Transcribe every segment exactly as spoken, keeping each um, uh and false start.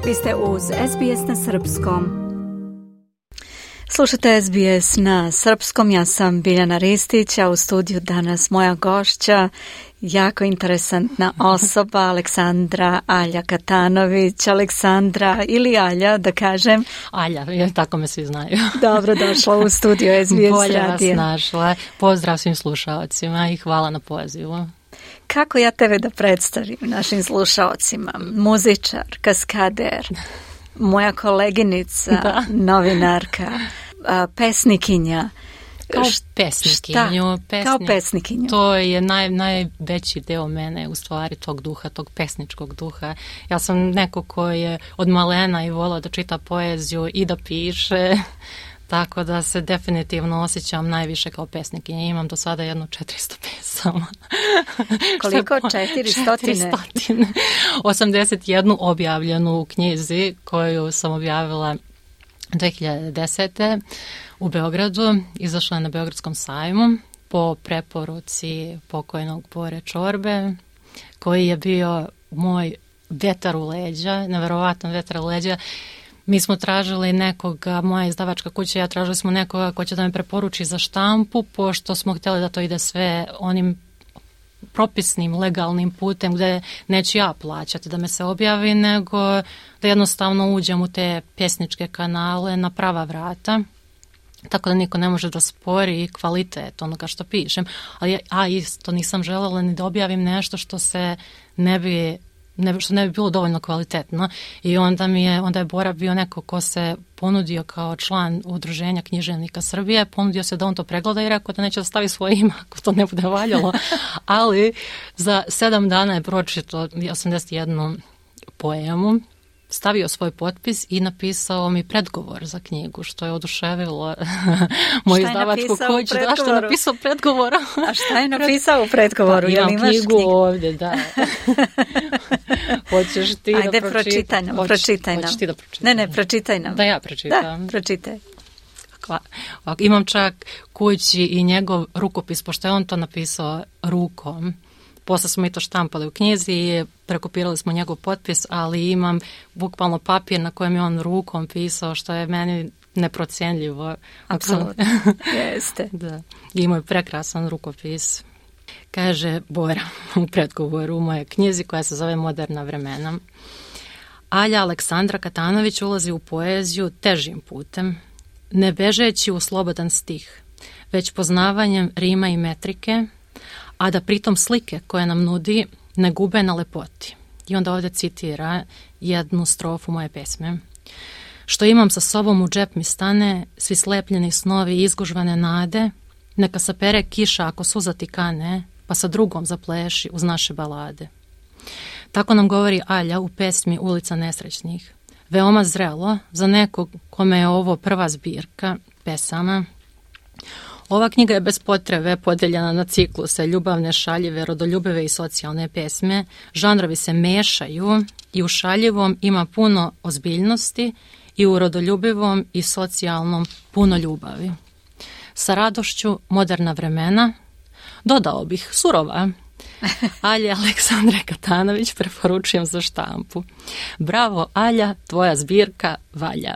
Vi ste uz S B S na srpskom. Slušate S B S na srpskom, ja sam Biljana Ristić, a u studiju danas moja gošća, jako interesantna osoba, Aleksandra Alja Katanović. Aleksandra ili Alja, da kažem. Alja, jer tako me svi znaju. Dobro došla u studio S B S Bolje radija. vas našla. Pozdrav svim slušalcima i hvala na pozivu. Kako ja tebe da predstavim našim slušalcima? Muzičar, kaskader, moja koleginica, da. Novinarka, pesnikinja. Kao pesnikinju. Pesnik, kao pesnikinju. To je naj, najveći deo mene, u stvari, tog duha, tog pesničkog duha. Ja sam neko ko je od malena i volao da čita poeziju i da piše, tako da se definitivno osjećam najviše kao pesnikinja. Imam do sada jedno četiristo pesama. Koliko? četiristo? osamdeset jednu objavljenu u knjizi koju sam objavila dve hiljade desete. u Beogradu. Izašla je na Beogradskom sajmu po preporuci pokojnog Bore Čorbe, koji je bio moj vetar u leđa, neverovatan vetar u leđa. Mi smo tražili nekoga, moja izdavačka kuća, ja tražili smo nekoga ko će da me preporuči za štampu, pošto smo htjeli da to ide sve onim propisnim, legalnim putem gdje neću ja plaćati da me se objavi, nego da jednostavno uđem u te pjesničke kanale na prava vrata, tako da niko ne može da spori kvalitet onoga što pišem. Ali, a isto nisam željela ni da objavim nešto što se ne bi Ne, što ne bi bilo dovoljno kvalitetno, i onda mi je, onda je Bora bio neko ko se ponudio kao član Udruženja književnika Srbije, ponudio se da on to pregleda i rekao da neće da stavi svoje ime ako to ne bude valjalo, ali za sedam dana je pročitao osamdeset jednu poemu, stavio svoj potpis i napisao mi predgovor za knjigu, što je oduševilo moju izdavačku kuću. Da, što je napisao predgovor? A šta je napisao u predgovoru? Pa, imam knjigu, knjigu ovdje, da. Hoćeš ti Ajde, da pročitaj nam, Hoć, pročitaj nam. Hoćeš ti da pročitaj? Ne, ne, pročitaj nam. Da ja pročitam. Da, pročitaj. Imam čak kući i njegov rukopis, pošto je on to napisao rukom. Posle smo i to štampali u knjizi i prekopirali smo njegov potpis, ali imam bukvalno papir na kojem je on rukom pisao, što je meni neprocijenljivo. Apsolutno, jeste. Da. Imao je prekrasan rukopis. Kaže Bora u predgovoru u mojoj knjizi koja se zove Moderna vremena. Alja Aleksandra Katanović ulazi u poeziju težim putem, ne bežeći u slobodan stih, već poznavanjem rima i metrike, a da pritom slike koje nam nudi ne gube na lepoti. I onda ovdje citira jednu strofu moje pesme. Što imam sa sobom u džep mi stane, svi slepljeni snovi i izgužvane nade, neka sapere kiša ako suza ti kane, pa sa drugom zapleši uz naše balade. Tako nam govori Alja u pesmi Ulica nesrećnih. Veoma zrelo za nekog kome je ovo prva zbirka pesama. Ova knjiga je bez potrebe podeljena na cikluse ljubavne, šaljive, rodoljubive i socijalne pesme. Žanrovi se mešaju i u šaljivom ima puno ozbiljnosti i u rodoljubivom i socijalnom puno ljubavi. Sa radošću Moderna vremena, dodao bih surova. Alja Aleksandre Katanović preporučujem za štampu. Bravo Alja, tvoja zbirka valja.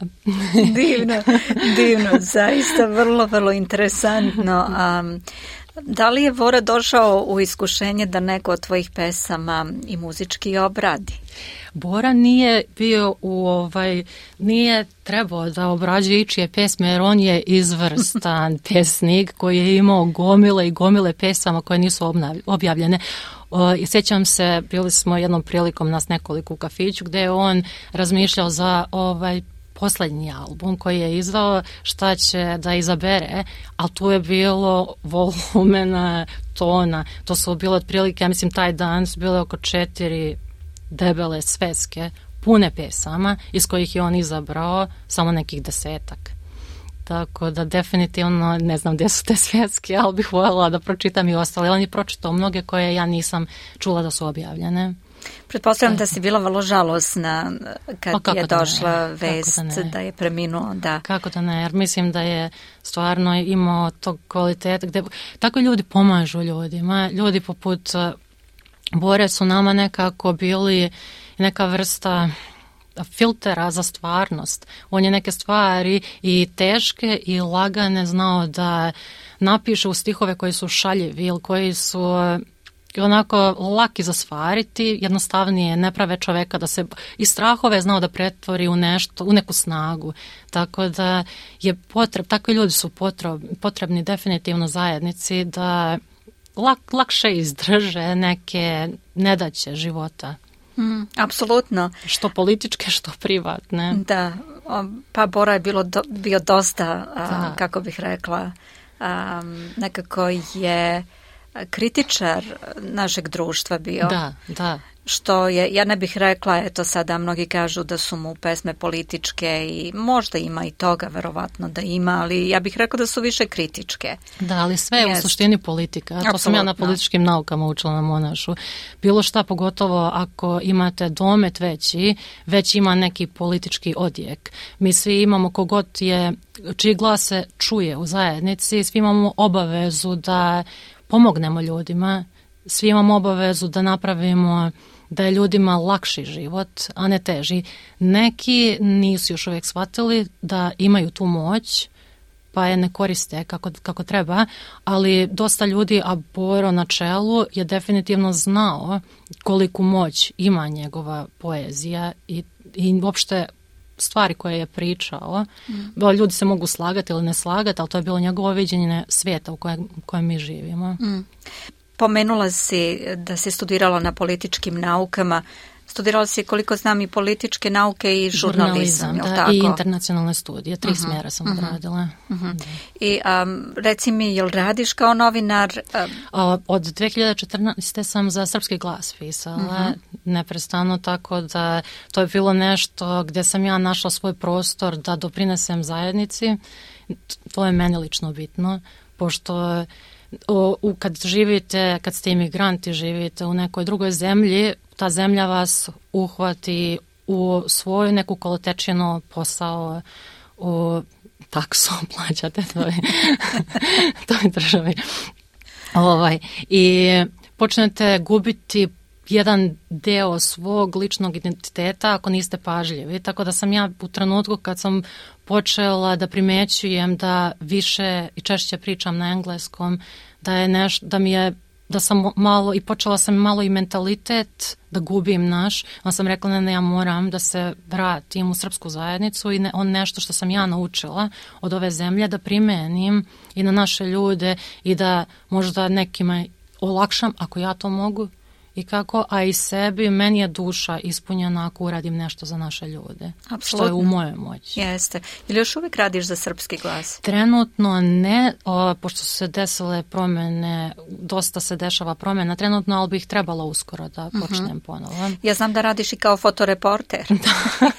Divno, divno, zaista vrlo, vrlo interesantno. Um, da li je Bora došao u iskušenje da neko od tvojih pesama i muzički obradi? Bora nije bio u ovaj, nije trebao da obrađuje ičije pesme, jer on je izvrstan pesnik koji je imao gomile i gomile pesama koje nisu objavljene. I sjećam se, bili smo jednom prilikom nas nekoliko u kafiću gdje je on razmišljao za ovaj posljednji album koji je izdao, šta će da izabere, ali tu je bilo volumena, tona, to su bilo otprilike, ja mislim taj dan su bile oko četiri debele sveske, pune pesama, iz kojih je on izabrao samo nekih desetak. Tako da definitivno ne znam gdje su te sveske, ali bih voljela da pročitam i ostale. On je pročitao mnoge koje ja nisam čula da su objavljene. Pretpostavljam da si bila vrlo žalosna kad je došla ne, vest da, da je preminuo. Da. Kako da ne, jer mislim da je stvarno imao tog kvaliteta gdje tako ljudi pomažu ljudima. Ljudi poput Bore su nama nekako bili neka vrsta filtera za stvarnost. On je neke stvari i teške i lagane znao da napiše u stihove koji su šaljivi ili koji su onako laki za stvariti, jednostavnije ne prave čoveka da se i strahove znao da pretvori u nešto, u neku snagu. Tako da je potreb, takvi ljudi su potreb, potrebni definitivno zajednici da lak, lakše izdrže neke nedaće života. Mm, apsolutno. Što političke, što privatne. Da, pa Bora je bilo do, bio dosta, a, kako bih rekla, a, nekako je kritičar našeg društva bio. Da, da. Što je, ja ne bih rekla, eto sada mnogi kažu da su mu pesme političke i možda ima i toga, verovatno da ima, ali ja bih rekla da su više kritičke. Da, ali sve je yes. u suštini politika. To Absolutno. Sam ja na političkim naukama učila na Monašu. Bilo šta, pogotovo ako imate domet veći, već ima neki politički odjek. Mi svi imamo, kogod je, čiji glas se čuje u zajednici, svi imamo obavezu da pomognemo ljudima, svi imamo obavezu da napravimo da je ljudima lakši život, a ne teži. Neki nisu još uvijek shvatili da imaju tu moć, pa je ne koriste kako, kako treba, ali dosta ljudi, a Boro na čelu, je definitivno znao koliku moć ima njegova poezija i, i uopšte stvari koje je pričao. Mm. Ljudi se mogu slagati ili ne slagati, ali to je bilo njegovo viđenje svijeta u kojem, u kojem mi živimo. Mm. Pomenula si da si studirala na političkim naukama. Studirala si, koliko znam, i političke nauke i žurnalizam. Žurnalizam, da, tako? I internacionalne studije. Tri uh-huh. smjera sam uh-huh. odradila. Uh-huh. I um, reci mi, jel radiš kao novinar? Um... Od dve hiljade četrnaeste. sam za Srpski glas pisala. Uh-huh. Neprestano, tako da to je bilo nešto gdje sam ja našla svoj prostor da doprinesem zajednici. To je meni lično bitno, pošto O, u, kad živite, kad ste imigranti, živite u nekoj drugoj zemlji, ta zemlja vas uhvati u svoju neku kolotečinu, posao, u taksu plaćate toj, toj državi. Ovaj, i počnete gubiti jedan deo svog ličnog identiteta ako niste pažljivi. Tako da sam ja u trenutku kad sam počela da primećujem da više i češće pričam na engleskom, da je nešto, da mi je, da sam malo i počela sam malo i mentalitet da gubim naš, onda sam rekla ne, ne, ja moram da se vratim u srpsku zajednicu i ne, on nešto što sam ja naučila od ove zemlje da primenim i na naše ljude i da možda nekima olakšam ako ja to mogu. I kako, a i sebi, meni je duša ispunjena ako uradim nešto za naše ljude. Apsolutno. Što je u mojoj moći. Jeste. Ili još uvijek radiš za Srpski glas? Trenutno ne, o, pošto su se desile promjene, dosta se dešava promjena trenutno, ali bih trebala uskoro da počnem uh-huh. ponovo. Ja znam da radiš i kao fotoreporter.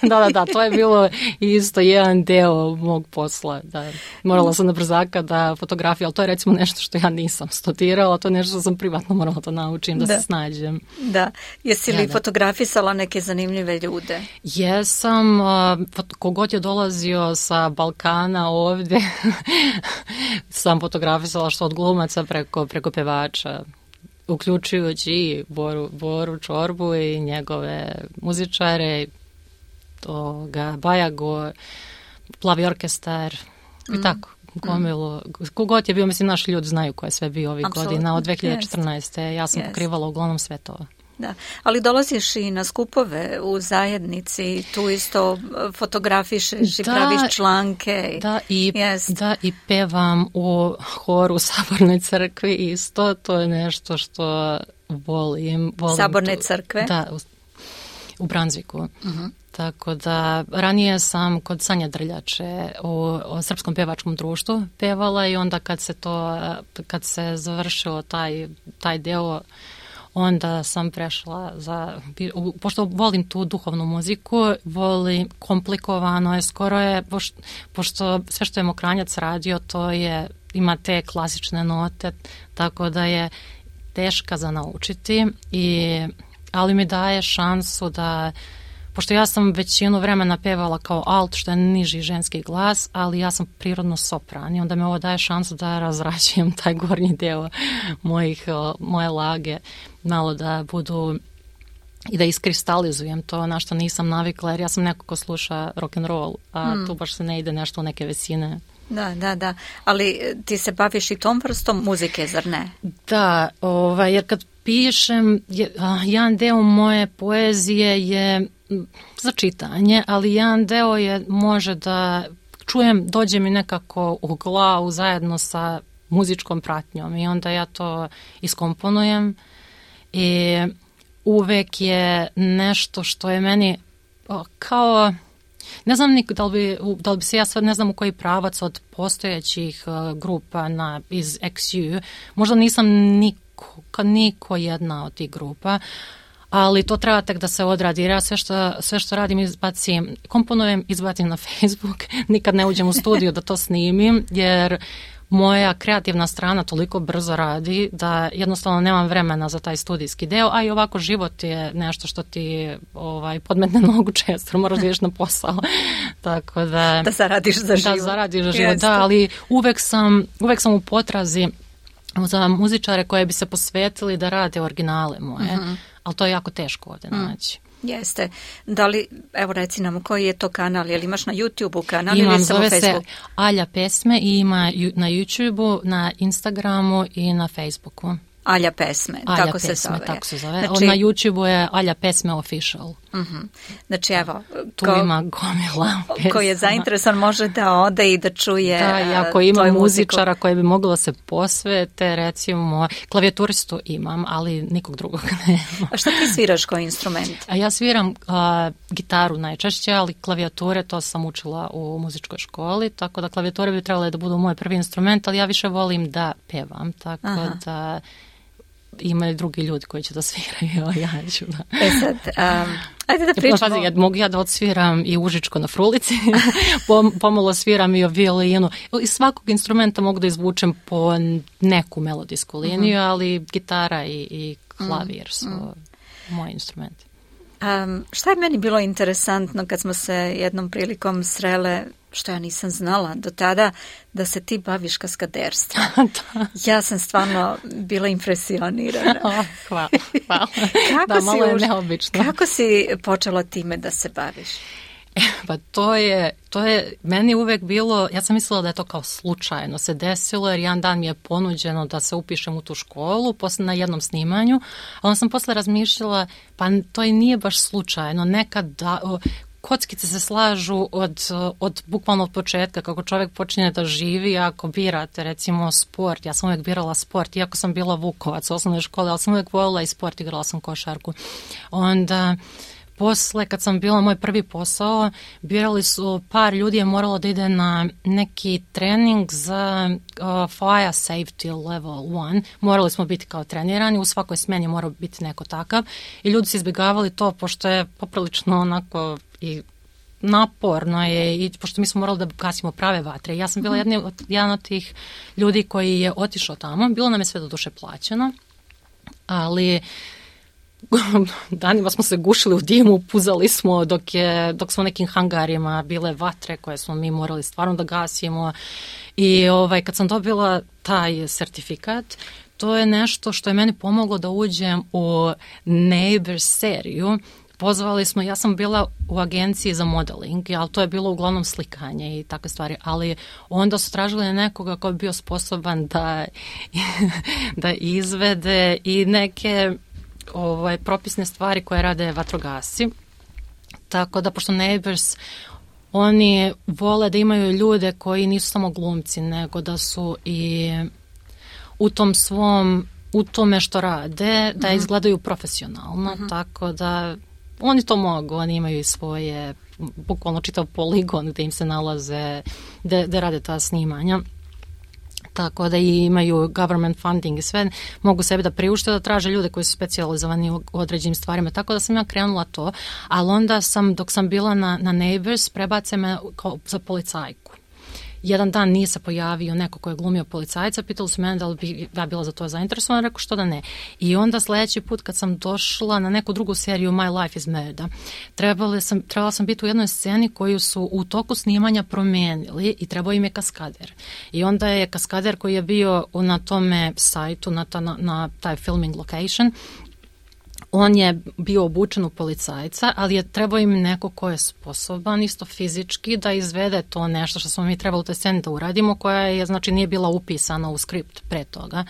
da, da, da, to je bilo isto jedan deo mog posla. Da. Morala sam na brzaka da fotografiju, ali to je recimo nešto što ja nisam studirala, to je nešto što sam privatno morala da naučim, da, da. se snađem. Da. Jesi li ja, fotografisala neke zanimljive ljude? Jesam. Kogod je dolazio sa Balkana ovdje, sam fotografisala što od glumaca preko, preko pevača, uključujući i Boru, Boru Čorbu i njegove muzičare, toga, Bajago, Plavi orkestar i mm. tako. Gomilu. Kogod je bio, mislim, naši ljudi znaju ko je sve bio ovih Absolutno. godina od dve hiljade četrnaeste. Yes. Ja sam yes. pokrivala uglavnom sve to. Da, ali dolaziš i na skupove u zajednici, tu isto fotografišeš i da, praviš članke. Da i, yes. da, i pevam u horu u Sabornoj crkvi isto, to je nešto što volim. volim Saborne tu, crkve? Da, u, u Branzviku. Uh-huh. Tako da ranije sam kod Sanje Drljače u, u Srpskom pevačkom društvu pevala i onda kad se to, kad se završilo taj, taj deo, onda sam prešla za, pošto volim tu duhovnu muziku, volim komplikovano je, skoro je, pošto sve što je Mokranjac radio, to je, ima te klasične note, tako da je teška za naučiti, i, ali mi daje šansu da, pošto ja sam većinu vremena pevala kao alt, što je niži ženski glas, ali ja sam prirodno sopran i onda me ovo daje šansu da razrađujem taj gornji deo mojih, moje lage, malo da budu i da iskristalizujem to na što nisam navikla, jer ja sam neko ko sluša rock and roll, a mm. tu baš se ne ide nešto u neke visine. Da, da, da. Ali ti se baviš i tom vrstom muzike, zar ne? Da, ovaj, jer kad pišem, je, a, jedan deo moje poezije je za čitanje, ali jedan deo je može da čujem, dođe mi nekako u glavu zajedno sa muzičkom pratnjom i onda ja to iskomponujem i uvek je nešto što je meni o, kao, ne znam nik, da, li bi, da li bi se ja sad ne znam u koji pravac od postojećih uh, grupa na, iz X U, možda nisam niko, niko jedna od tih grupa, ali to treba tek da se odradi, jer ja sve što, sve što radim izbacim, komponujem, izbacim na Facebook, nikad ne uđem u studiju da to snimim, jer moja kreativna strana toliko brzo radi da jednostavno nemam vremena za taj studijski deo, a i ovako život je nešto što ti ovaj, podmetne nogu često, moraš da ideš na posao. Tako da, da zaradiš za život. Da zaradiš za život, da, ali uvek sam, uvek sam u potrazi za muzičare koje bi se posvetili da rade originale moje, uh-huh. ali to je jako teško ovdje uh-huh. naći. Jeste. Da li, evo reci nam, koji je to kanal? Je li imaš na YouTube-u kanal Imam, ili samo zove Facebook? Se Alja Pesme i ima na YouTube-u, na Instagramu i na Facebooku. Alja Pesme, Alja tako Pesme, se zove. tako se zove. Znači, na YouTube-u je Alja Pesme Official. Uh-huh. Znači evo, tu ko, ima gomila pesma. Ko je zainteresan može da ode i da čuje da, i ako ima muzičara koje bi moglo se posvete, recimo, klavijaturistu imam, ali nikog drugog nema. A šta ti sviraš koji instrument? A ja sviram a, gitaru najčešće, ali klavijature to sam učila u muzičkoj školi, tako da klavijature bi trebale da budu moj prvi instrument, ali ja više volim da pevam, tako Aha. da imaju drugi ljudi koji će da sviraju, ja ću da... E sad, um, ajde da pričamo... Pazi, ja, mogu ja da odsviram i užičko na frulici, pomalo sviram i o violinu. Iz svakog instrumenta mogu da izvučem po neku melodijsku liniju, uh-huh. ali gitara i, i klavir su uh-huh. moji instrumenti. Um, šta je meni bilo interesantno kad smo se jednom prilikom srele, što ja nisam znala do tada, da se ti baviš kaskaderstvom. Ja sam stvarno bila impresionirana. Oh, hvala, hvala. Kako da, malo je už, neobično. Kako si počela time da se baviš? E, pa to je, to je meni uvek bilo, ja sam mislila da je to kao slučajno se desilo, jer jedan dan mi je ponuđeno da se upišem u tu školu posle na jednom snimanju, a onda sam posle razmišljala, pa to i nije baš slučajno, nekad da... O, kockice se slažu od, od bukvalno od početka, kako čovjek počinje da živi, ako birate recimo sport, ja sam uvijek birala sport, iako sam bila Vukovac u osnovnoj školi, ali sam uvijek voljela i sport, igrala sam košarku. Onda posle, kad sam bila moj prvi posao, birali su, par ljudi je moralo da ide na neki trening za uh, fire safety level one. Morali smo biti kao trenirani, u svakoj smjeni mora biti neko takav i ljudi su izbjegavali to, pošto je poprilično onako i naporno je, i pošto mi smo morali da gasimo prave vatre. Ja sam bila jedni, jedan od tih ljudi koji je otišao tamo, bilo nam je sve do duše plaćeno, ali danima smo se gušili u dimu, puzali smo dok, je, dok smo u nekim hangarima bile vatre koje smo mi morali stvarno da gasimo i ovaj, kad sam dobila taj sertifikat, to je nešto što je meni pomoglo da uđem u Neighbors seriju. Pozvali smo, ja sam bila u agenciji za modeling, ali to je bilo uglavnom slikanje i takve stvari, ali onda su tražili nekoga ko bi bio sposoban da, da izvede i neke ovaj, propisne stvari koje rade vatrogasci. Tako da, pošto Neighbors, oni vole da imaju ljude koji nisu samo glumci, nego da su i u tom svom, u tome što rade, da izgledaju profesionalno, uh-huh. tako da oni to mogu, oni imaju i svoje, bukvalno čitav poligon gde im se nalaze, gde, gde rade ta snimanja. Tako da i imaju government funding i sve, mogu sebi da priušte da traže ljude koji su specijalizovani u određenim stvarima. Tako da sam ja krenula to, ali onda sam, dok sam bila na, na Neighbors, prebace me kao za policajku. Jedan dan nije se pojavio neko ko je glumio policajca, pitali su mene da li bi ja bila za to zainteresovana, rekao što da ne. I onda sljedeći put kad sam došla na neku drugu seriju My Life is Murder, trebala sam, trebala sam biti u jednoj sceni koju su u toku snimanja promijenili i trebao im je kaskader. I onda je kaskader koji je bio na tome sajtu, na, ta, na, na taj filming location, On je bio obučen u policajca, ali je trebao im neko ko je sposoban isto fizički da izvede to nešto što smo mi trebali u toj sceni da uradimo, koja je, znači, nije bila upisana u skript pre toga.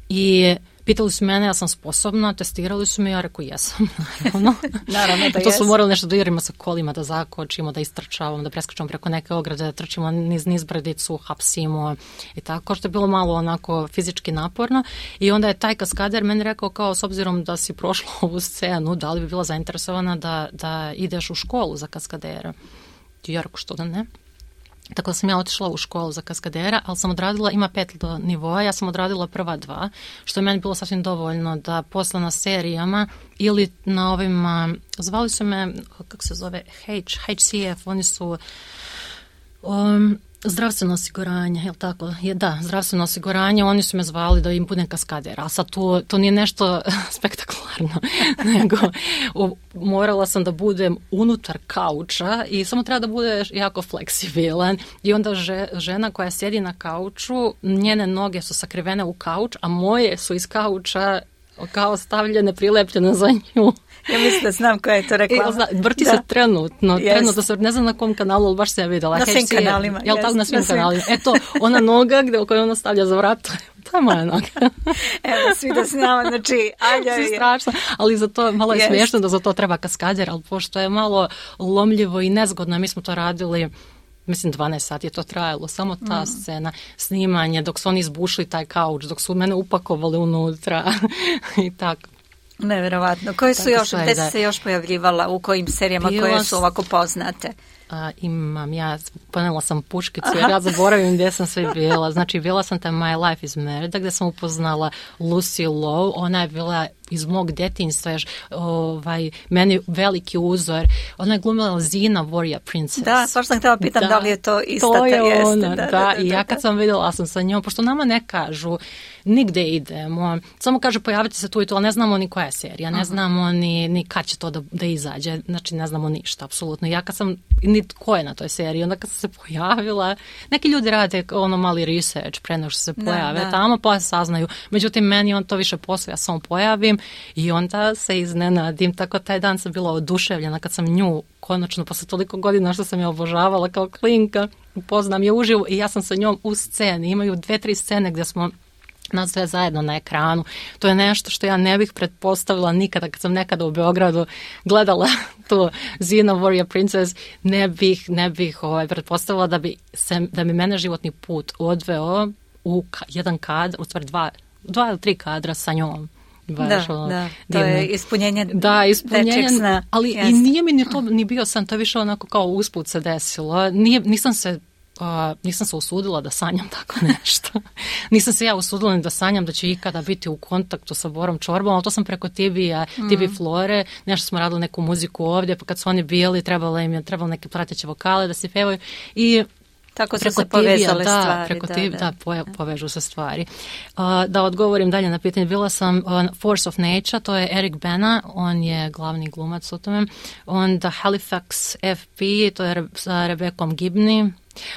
I pitali su mene, ja sam sposobna, testirali su me, ja rekao jesam, naravno. Naravno da to su jes. morali nešto da igramo sa kolima, da zakočimo, da istrčavamo, da preskačemo preko neke ograde, da trčimo niz, niz brdicu, hapsimo i tako, što je bilo malo onako fizički naporno. I onda je taj kaskader meni rekao kao, s obzirom da si prošla ovu scenu, da li bi bila zainteresovana da, da ideš u školu za kaskadera. I ja rekao, što da ne? Tako da sam ja otišla u školu za kaskadera, ali sam odradila, ima pet nivoa, ja sam odradila prva dva, što je meni bilo sasvim dovoljno da posle na serijama ili na ovim, zvali su me, kako se zove, H, H C F, oni su um, zdravstveno osiguranje, je li tako? Je, da, zdravstveno osiguranje, oni su me zvali da im budem kaskader, a sad to, to nije nešto spektakularno, nego o, morala sam da budem unutar kauča i samo treba da budeš jako fleksibilan i onda že, žena koja sjedi na kauču, njene noge su sakrivene u kauč, a moje su iz kauča kao stavljene, prilepljene za nju. Ja mislim da znam koja je to reklama. I, vrti da. se trenutno, yes. trenutno se, ne znam na kom kanalu, ali baš se ja vidjela. Na svim H C, kanalima. Jel yes, tako, na svim, na svim kanalima. Eto, ona noga gde, u kojoj ona stavlja za vrat, to je moja noga. Evo, svi da znamo, znači, Alja je... strašno, ali za to, malo je yes. smiješno da za to treba kaskader, ali pošto je malo lomljivo i nezgodno, mi smo to radili, mislim dvanaest sati je to trajalo, samo ta mm. scena, snimanje, dok su oni izbušli taj kauč, dok su mene upakovali unutra i tako. Neverovatno. Koje su još, gde si se još pojavljivala, u kojim serijama bila koje su ovako poznate? A, imam, ja ponela sam puškicu, jer ja zaboravim gdje sam sve bila. Znači, bila sam tam My Life is Merida, gdje sam upoznala Lucy Lowe, ona je bila iz mog djetinjstva, još, ovaj, meni veliki uzor. Ona je glumila Xena, Warrior Princess. Da, svašta sam htjela pitam da, da li je to ista to je jeste. Ona, da, da, da, da, i ja da, kad sam vidjela sam sa njom, pošto nama ne kažu nigde idemo, samo kaže pojavite se tu i tu, ali ne znamo ni koja je serija, ne uh-huh. znamo ni, ni kad će to da, da izađe, znači ne znamo ništa, apsolutno. Ja kad sam, ni ko je na toj seriji, onda kad sam se pojavila, neki ljudi rade ono mali research pre nego što se pojave, da, da. tamo pa saznaju, međutim meni on to više posle, ja samo pojavim i onda se iznenadim, tako taj dan sam bila oduševljena kad sam nju konačno, posle toliko godina što sam je obožavala kao klinka, upoznam je uživo i ja sam sa njom u sceni, imaju dve, tri scene gdje smo nas sve zajedno na ekranu. To je nešto što ja ne bih pretpostavila nikada kad sam nekada u Beogradu gledala tu Xena, Warrior Princess, ne bih, ne bih ovaj, pretpostavila da bi, se, da bi mene životni put odveo u ka, jedan kadar, u stvari dva, dva ili tri kadra sa njom. Baš, da, ono, da, to divno. je ispunjenje, da, ispunjenje sna. Ali yes. i nije mi ni to ni bio san, to je više onako kao usput se desilo. Nije, nisam se Uh, nisam se usudila da sanjam tako nešto. Nisam se ja usudila ni da sanjam da će ikada biti u kontaktu sa Borom Čorbom, ali to sam preko T V-a, mm. T V Flore, nešto smo radili neku muziku ovdje, pa kad su oni bili, trebalo im je trebalo neke prateće vokale da se pevaju i tako su se povezale da, stvari. Preko da, T V, da, da, poje, povežu se stvari. Uh, da odgovorim dalje na pitanje, bila sam on Force of Nature, to je Eric Bana, on je glavni glumac u tome. Onda Halifax F P, to je Re, sa Rebekom Gibney.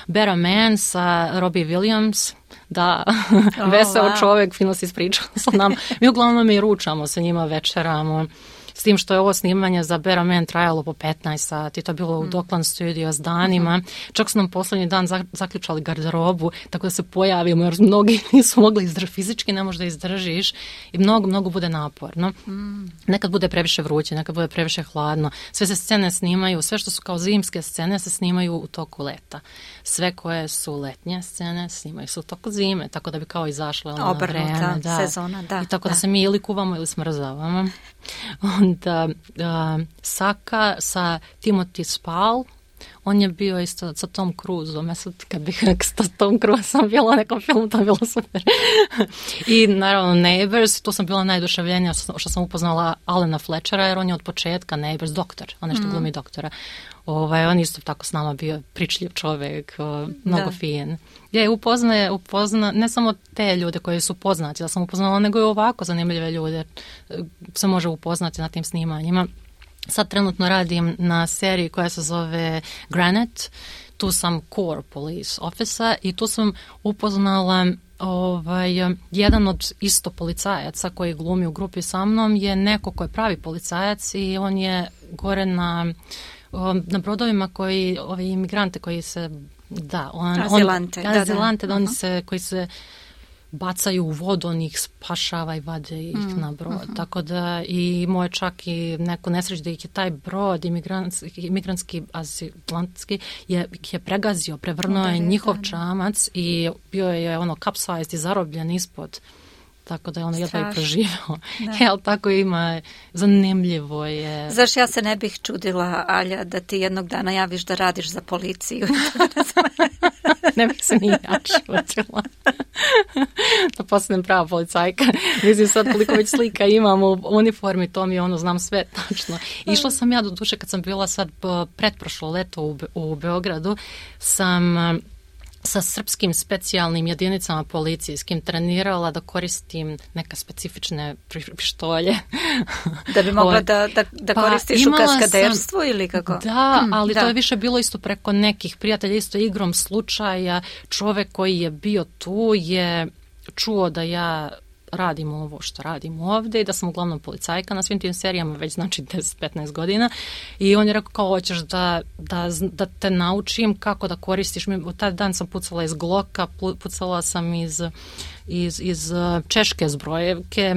Better Man sa Robbie Williams, da, oh, veseo wow. čovjek, fino se ispričao sa nama. Mi uglavnom i ručamo sa njima, večeramo, s tim što je ovo snimanje za Better Man trajalo po petnaest sati, to je bilo u mm. Dockland Studio s danima. Mm-hmm. Čak su nam posljednji dan zaključali garderobu, tako da se pojavimo, jer mnogi nisu mogli izdržati, fizički ne možeš da izdržiš i mnogo, mnogo bude naporno. Mm. Nekad bude previše vruće, nekad bude previše hladno. Sve se scene snimaju, sve što su kao zimske scene se snimaju u toku leta. Sve koje su letnje scene snimaju se u toku zime, tako da bi kao izašle ono na vreme. Da, sezona, da. I tako da. da se mi ili kuvamo ili smrzavamo. Onda uh, Saka sa Timothy Spall, on je bio isto sa Tom Cruiseom, ja sad kad bih sa Tom Cruiseom bila u nekom filmu, to je bilo super. I naravno Neighbors, tu sam bila najduševljenija što sam upoznala Alana Fletchera, jer on je od početka Neighbors doktor, on nešto mm. glumi doktora. Ovaj, on isto tako s nama bio pričljiv čovjek, mnogo da. fin. Je, upoznaje, upozna, ne samo te ljude koji su poznati, da sam upoznala, nego i ovako zanimljive ljude se može upoznati na tim snimanjima. Sad trenutno radim na seriji koja se zove Granite, tu sam core police officer i tu sam upoznala ovaj, jedan od isto policajaca koji glumi u grupi sa mnom je neko ko je pravi policajac i on je gore na, na brodovima koji, ovi imigrante koji se, da, on, azilante, on, da, azilante, da, da, oni uh-huh. se, koji se bacaju u vodu, on ih spašava i vade ih mm, na brod. Uh-huh. Tako da i moje čak i neko nesreć da ih je taj brod imigrantski, imigrantski azilantski je, je pregazio, prevrnuo je njihov da, čamac i bio je ono kapsajst i zarobljen ispod. Tako da je ono jedva i preživao. Jel, tako ima, zanimljivo je. Znaš, ja se ne bih čudila, Alja, da ti jednog dana javiš da radiš za policiju. Ne bih se ni ja čudila. Da postanem prava policajka. Mislim sad koliko već slika imam u uniformi, to mi ono, znam sve tačno. Išla sam ja do duše kad sam bila sad pretprošlo leto u, u Beogradu, sam sa srpskim specijalnim jedinicama policijskim trenirala da koristim neka specifične pištolje. Da bi mogla da, da, da pa, koristiš u kaskaderstvu sam, ili kako? Da, ali da. To je više bilo isto preko nekih prijatelja, isto igrom slučaja. Čovek koji je bio tu je čuo da ja radim ovo što radim ovde i da sam uglavnom policajka na svim tim serijama već znači deset petnaest godina i on je rekao kao hoćeš da, da, da te naučim kako da koristiš. U taj dan sam pucala iz Glocka, pucala sam iz, iz, iz češke zbrojevke,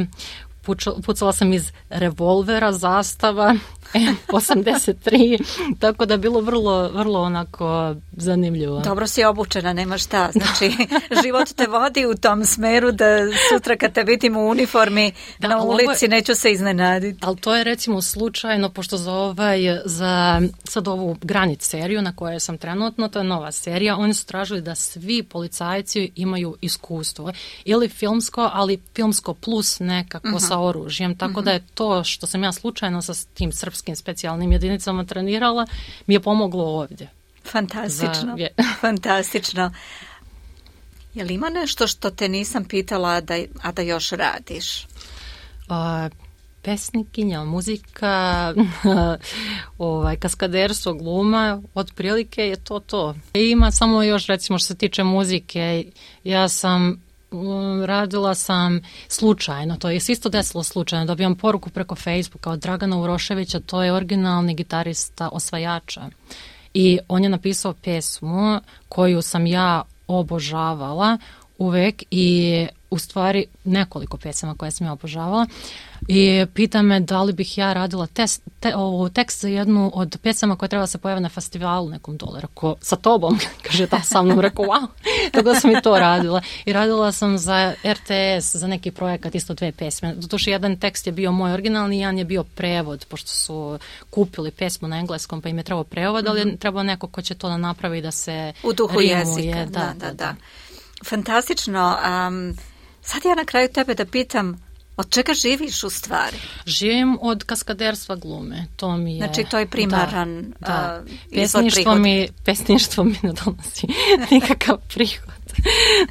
pucala sam iz revolvera, zastava, em osamdeset tri, tako da je bilo vrlo, vrlo onako zanimljivo. Dobro si obučena, nema šta. Znači, život te vodi u tom smeru da sutra kad te vidim u uniformi da, na ulici, ovo, neću se iznenaditi. Ali to je recimo slučajno, pošto za, ovaj, za sad ovu Granic seriju na kojoj sam trenutno, to je nova serija, oni su tražili da svi policajci imaju iskustvo. Ili filmsko, ali filmsko plus nekako uh-huh. sa oružjem. Tako uh-huh. da je to što sam ja slučajno sa tim srpskim specijalnim jedinicama trenirala, mi je pomoglo ovdje. Fantastično, Za... fantastično. Je li ima nešto što te nisam pitala, da, a da još radiš? A, pesnikinja, muzika, ovaj, kaskaderstvo, gluma, otprilike je to to. Ima samo još, recimo, što se tiče muzike, ja sam radila sam slučajno, to je isto desilo slučajno, dobijam poruku preko Facebooka od Dragana Uroševića, to je originalni gitarista Osvajača i on je napisao pesmu koju sam ja obožavala uvek i u stvari nekoliko pesama koje sam ja obožavala i pita me da li bih ja radila test, te, ovo, tekst za jednu od pesama koja treba se pojave na festivalu nekom dole. Rekao, sa tobom, kaže da sa mnom, rekao wow, tako da sam i to radila. I radila sam za R T S, za neki projekat, isto dve pesme. Doduše, jedan tekst je bio moj originalni, jedan je bio prevod, pošto su kupili pesmu na engleskom, pa im je trebao prevod, ali je trebao neko ko će to da napravi da se u duhu rimuje. Jezika. Da, da, da. da. da. Fantastično. Um, sad ja na kraju tebe da pitam, od čega živiš u stvari? Živim od kaskaderstva glume. To mi je... Znači to je primaran da, da. Uh, pesništvo mi, pesništvo mi ne donosi nikakav prihod.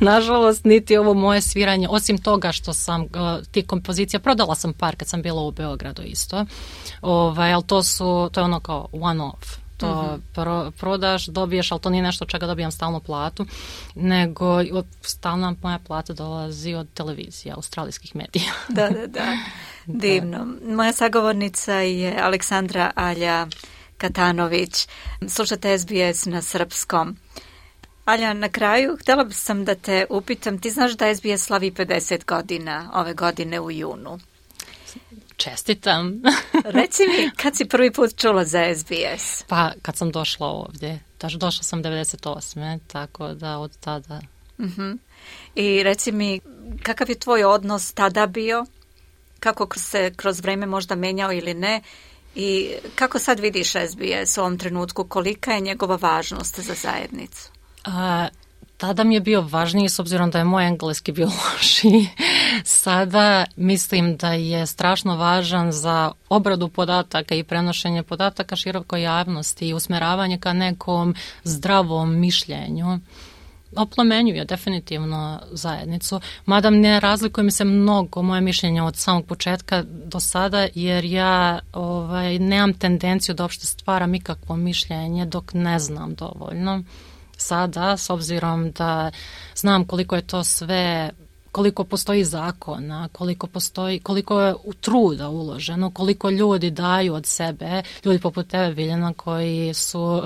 Nažalost, niti ovo moje sviranje, osim toga što sam uh, ti kompozicija, prodala sam par kad sam bila u Beogradu isto, ovaj, ali to su, to je ono kao one off. To mm-hmm. pro, prodaš, dobiješ, ali to nije nešto čega dobijam stalnu platu, nego stalna moja plata dolazi od televizije, australijskih medija. Da, da, da. Divno. Moja sagovornica je Aleksandra Alja Katanović. Slušate S B S na srpskom. Alja, na kraju htjela sam da te upitam, ti znaš da S B S slavi pedeset godina ove godine u junu? Čestitam. Reci mi, kad si prvi put čula za S B S? Pa, kad sam došla ovdje. Došla sam devedeset osme tako da od tada. Uh-huh. I reci mi, kakav je tvoj odnos tada bio? Kako se kroz vreme možda menjao ili ne? I kako sad vidiš S B S u ovom trenutku? Kolika je njegova važnost za zajednicu? A, tada mi je bio važniji s obzirom da je moj engleski bio lošiji. Sada mislim da je strašno važan za obradu podataka i prenošenje podataka širokoj javnosti i usmeravanje ka nekom zdravom mišljenju. Oplemenjuje definitivno zajednicu, mada ne razlikuje mi se mnogo moje mišljenje od samog početka do sada, jer ja ovaj, nemam tendenciju da uopšte stvaram ikakvo mišljenje dok ne znam dovoljno. sada, s obzirom da znam koliko je to sve, koliko postoji zakona, koliko postoji, koliko je truda uloženo, koliko ljudi daju od sebe, ljudi poput tebe, Biljana, koji su,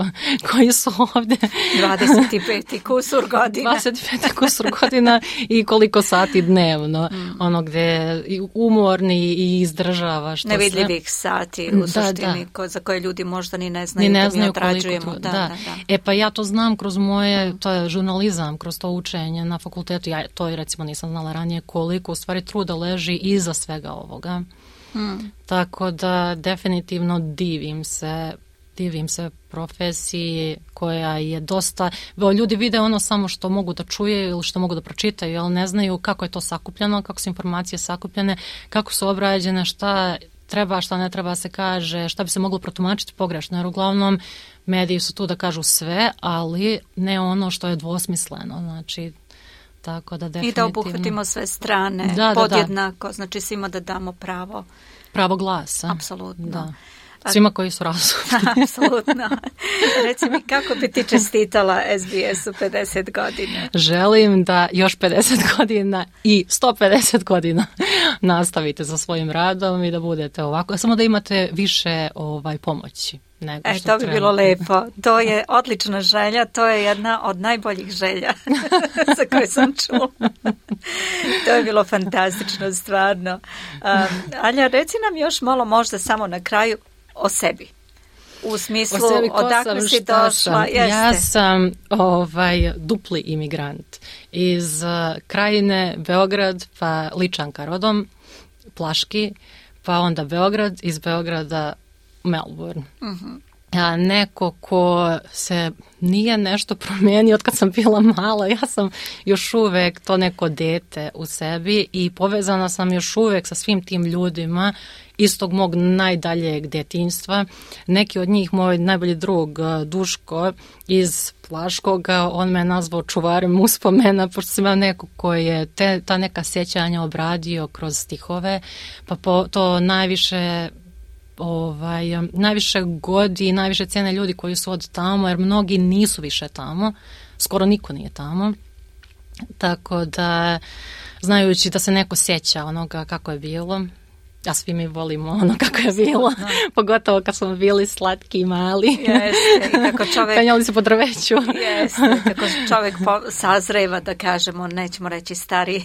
koji su ovdje dvadeset pet kusur godina. dvadeset pet kusur godina i koliko sati dnevno, mm. ono gdje umorni i izdržava. Što nevidljivih sve. Sati u da, suštini, da. Ko, za koje ljudi možda ni ne znaju, ni ne znaju da mi odrađujemo. Da, da, da. Da, da. E pa ja to znam kroz moje, to je žurnalizam, kroz to učenje na fakultetu, ja to i recimo nisam znala ranije koliko u stvari truda leži iza svega ovoga. Hmm. Tako da definitivno divim se, divim se profesiji koja je dosta, ljudi vide ono samo što mogu da čuje ili što mogu da pročitaju, ali ne znaju kako je to sakupljeno, kako su informacije sakupljene, kako su obrađene, šta treba, šta ne treba se kaže, šta bi se moglo protumačiti pogrešno, jer uglavnom mediji su tu da kažu sve, ali ne ono što je dvosmisleno, znači tako da definitivno. I da obuhvatimo sve strane da, podjednako, da, da. znači svima da damo pravo. Pravo glasa. Apsolutno. Da. Svima koji su razumni. Apsolutno. Reci mi, kako bi ti čestitala S B S-u pedeset godina? Želim da još pedeset godina i sto pedeset godina nastavite sa svojim radom i da budete ovako, samo da imate više ovaj pomoći. Nego e, što to bi treba. bilo lepo. To je odlična želja, to je jedna od najboljih želja za koje sam čula. To je bilo fantastično, stvarno. Um, Alja, reci nam još malo možda samo na kraju o sebi. U smislu, sebi, odakle sam, si došla? Ja sam ovaj, dupli imigrant iz uh, krajine Beograd, pa Ličanka rodom, Plaški, pa onda Beograd, iz Beograda Melbourne. Uh-huh. A neko ko se nije nešto promijenio od kad sam bila mala, ja sam još uvek to neko dete u sebi i povezana sam još uvek sa svim tim ljudima iz tog mog najdaljeg detinjstva. Neki od njih, moj najbolji drug Duško iz Plaškoga, on me nazvao čuvarem uspomena, pošto sam ja neko koji je te, ta neka sjećanja obradio kroz stihove, pa po, to najviše ovaj, najviše godi, najviše cene ljudi koji su od tamo, jer mnogi nisu više tamo, skoro niko nije tamo, tako da znajući da se neko sjeća onoga kako je bilo, a svi mi volimo ono kako je bilo, no. Pogotovo kad smo bili slatki i mali. Jeste, i kako čovjek... penjali se po drveću. Jeste, kako čovjek po, sazreva, da kažemo, nećemo reći stari.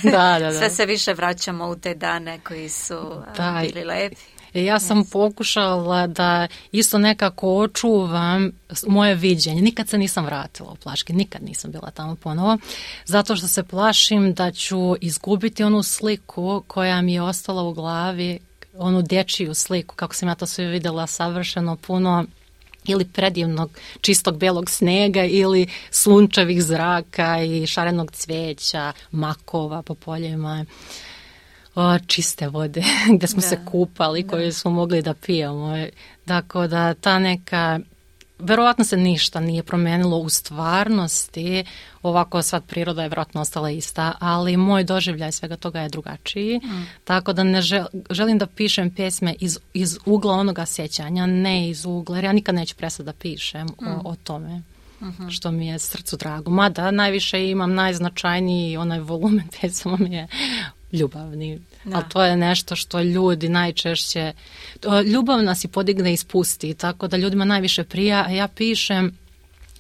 Da, da, da. Sve se više vraćamo u te dane koji su da, bili lepi. Ja sam yes. pokušala da isto nekako očuvam moje viđenje. Nikad se nisam vratila u Plaški, nikad nisam bila tamo ponovo, zato što se plašim da ću izgubiti onu sliku koja mi je ostala u glavi, onu dječju sliku, kako sam ja to sve vidjela savršeno puno ili predivnog čistog belog snega ili sunčevih zraka i šarenog cvijeća, makova po poljima. O, čiste vode gdje smo da, se kupali, da. Koje smo mogli da pijemo. Dakle, da ta neka, verovatno se ništa nije promenilo u stvarnosti, ovako sva priroda je vjerojatno ostala ista, ali moj doživljaj svega toga je drugačiji, mm. tako da ne žel, želim da pišem pjesme iz, iz ugla onoga sjećanja, ne iz ugla, jer ja nikad neću prestati da pišem mm. o, o tome. Uh-huh. Što mi je srcu drago. Mada najviše imam najznačajniji onaj volumen pesama mi je ljubavni. Da. Ali to je nešto što ljudi najčešće... Ljubav nas i podigne i spusti, tako da ljudima najviše prija, a ja pišem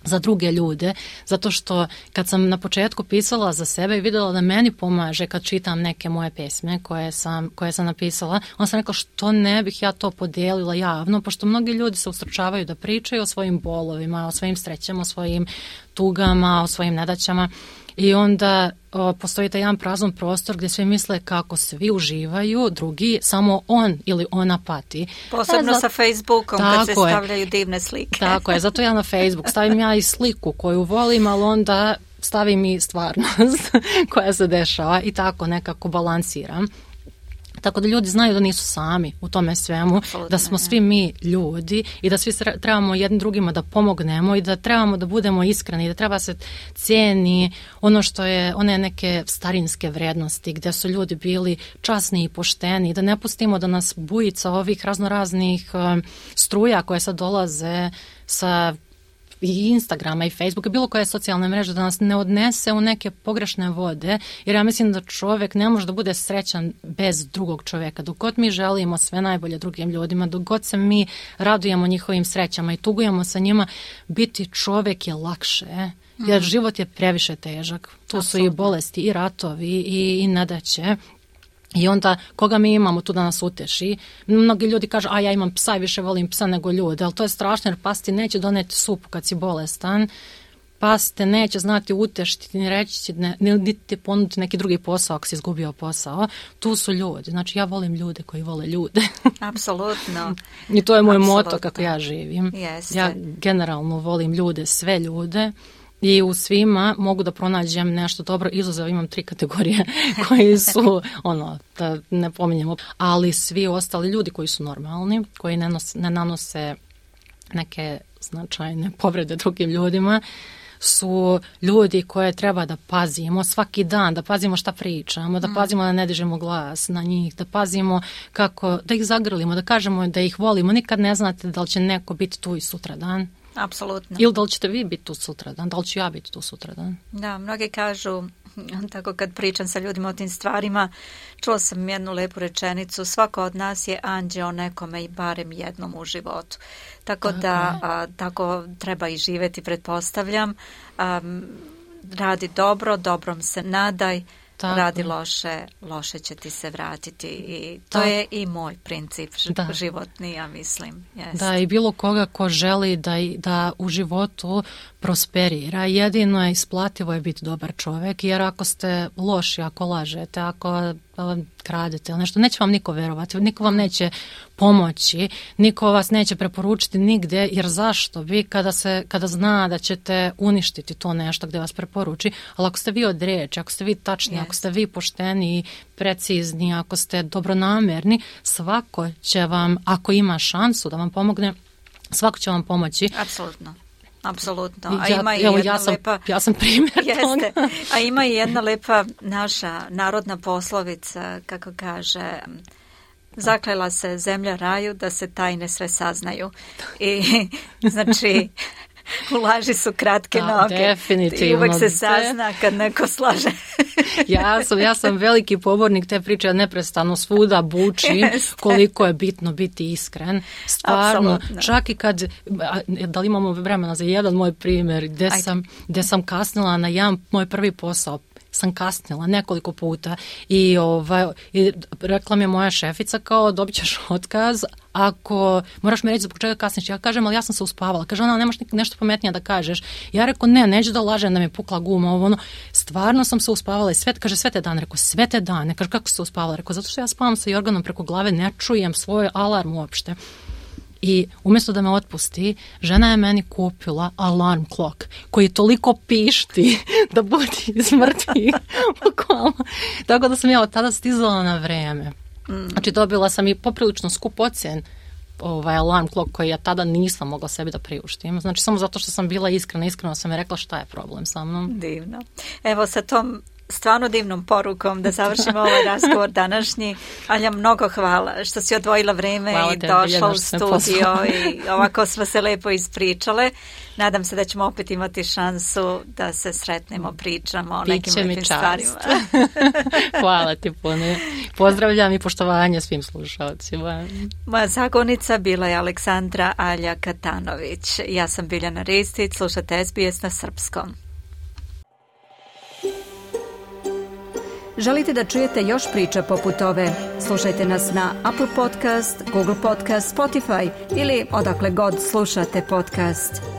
za druge ljude, zato što kad sam na početku pisala za sebe i vidjela da meni pomaže kad čitam neke moje pesme koje sam, koje sam napisala, onda sam rekla što ne bih ja to podijelila javno, pošto mnogi ljudi se ustručavaju da pričaju o svojim bolovima, o svojim srećama, o svojim tugama, o svojim nedaćama. I onda o, postoji taj jedan prazan prostor gdje svi misle kako svi uživaju, drugi samo on ili ona pati. Posebno za... sa Facebookom kad se stavljaju divne slike. Tako je, zato ja na Facebook stavim ja i sliku koju volim, ali onda stavim i stvarnost koja se dešava i tako nekako balansiram. Tako da ljudi znaju da nisu sami u tome svemu, absolutno, da smo svi mi ljudi i da svi trebamo jednim drugima da pomognemo i da trebamo da budemo iskreni i da treba se cijeni ono što je, one neke starinske vrednosti gdje su ljudi bili časni i pošteni, da ne pustimo da nas bujica ovih raznoraznih uh, struja koje sad dolaze sa i Instagrama i Facebooka, bilo koje socijalne mreže, da nas ne odnese u neke pogrešne vode, jer ja mislim da čovjek ne može da bude srećan bez drugog čovjeka. Dok god mi želimo sve najbolje drugim ljudima, dok god se mi radujemo njihovim srećama i tugujemo sa njima, biti čovjek je lakše, jer život je previše težak. Tu su i bolesti, i ratovi, i, i nedaće. I onda, koga mi imamo tu da nas uteši? Mnogi ljudi kažu, a ja imam psa i više volim psa nego ljude, ali to je strašno jer pas ti neće doneti supu kad si bolestan, pas te neće znati utešiti, ni reći, ne, niti ti ponuditi neki drugi posao ako si izgubio posao. Tu su ljudi, znači ja volim ljude koji vole ljude. Apsolutno. I to je moj Apsolutno. moto kako ja živim. Jeste. Ja generalno volim ljude, sve ljude. I u svima mogu da pronađem nešto dobro, izuzev imam tri kategorije koji su, ono, da ne pominjemo, ali svi ostali ljudi koji su normalni, koji ne, nos, ne nanose neke značajne povrede drugim ljudima, su ljudi koje treba da pazimo svaki dan, da pazimo šta pričamo, da pazimo da ne dižemo glas na njih, da pazimo kako, da ih zagrlimo, da kažemo da ih volimo. Nikad ne znate da li će neko biti tu i sutra dan. Apsolutno. Ili da li ćete vi biti tu sutradan, da li ću ja biti tu sutradan? Da, mnogi kažu, tako kad pričam sa ljudima o tim stvarima, čula sam jednu lepu rečenicu, svako od nas je anđeo nekome i barem jednom u životu. Tako, tako da a, tako treba i živjeti, pretpostavljam. A, radi dobro, dobrom se nadaj. Tako. Radi loše, loše će ti se vratiti i to tako. Je i moj princip da. životni, ja mislim. Jest. Da, i bilo koga ko želi da, da u životu prosperira, jedino je isplativo je biti dobar čovjek, jer ako ste loši, ako lažete, ako kradete ili nešto, neće vam niko verovati, niko vam neće pomoći, niko vas neće preporučiti nigdje, jer zašto vi kada, se, kada zna da ćete uništiti to nešto gdje vas preporuči, ali ako ste vi od riječi, ako ste vi tačni, yes. ako ste vi pošteni, precizni, ako ste dobronamerni, svako će vam, ako ima šansu da vam pomogne, svako će vam pomoći. Apsolutno. Apsolutno. A ja, ima i evo, jedna ja sam, lepa... Ja sam primjer Jeste. toga. A ima i jedna lepa naša narodna poslovica, kako kaže, zaklela se zemlja raju da se tajne sve saznaju. I znači... U laži su kratke da, noge. Definitivno. I uvek se sazna kad neko slaže. ja, sam, ja sam veliki pobornik te priče, neprestano svuda bučim koliko je bitno biti iskren. Stvarno, Absolutno. Čak i kad, da li imamo vremena za jedan moj primjer, gdje sam, gdje sam kasnila na jedan moj prvi posao, sam kasnila nekoliko puta i, ovaj, i rekla mi je moja šefica kao dobit ćeš otkaz ako moraš mi reći zbog čega kasniš. Ja kažem, ali ja sam se uspavala. Kaže ona, nemaš nešto pametnije da kažeš. Ja rekao, ne, neću da lažem da mi je pukla guma. Ovo, ono, stvarno sam se uspavala i sve, kaže, sve te dane. Rekao, sve te dane. Kaže, kako se uspavala? Rekao, zato što ja spavam sa jorganom preko glave, ne čujem svoj alarm uopšte. I umjesto da me otpusti, žena je meni kupila alarm clock koji toliko pišti da budi smrti. Tako da sam ja od tada stizala na vreme. Znači dobila sam i poprilično skup ocen ovaj alarm clock koji ja tada nisam mogla sebi da priuštim. Znači samo zato što sam bila iskrena, iskreno sam je rekla šta je problem sa mnom. Divno. Evo sa tom stvarno divnom porukom da završimo ovaj razgovor današnji. Alja, mnogo hvala što si odvojila vreme hvala i došla u studio i ovako smo se lepo ispričale. Nadam se da ćemo opet imati šansu da se sretnemo, pričamo o nekim lepim stvarima. Hvala ti puno. Pozdravljam i poštovanje svim slušalcima. Moja zagovornica bila je Aleksandra Alja Katanović. Ja sam Biljana Ristić, slušate S B S na srpskom. Želite da čujete još priča poput ove? Slušajte nas na Apple Podcast, Google Podcast, Spotify ili odakle god slušate podcast.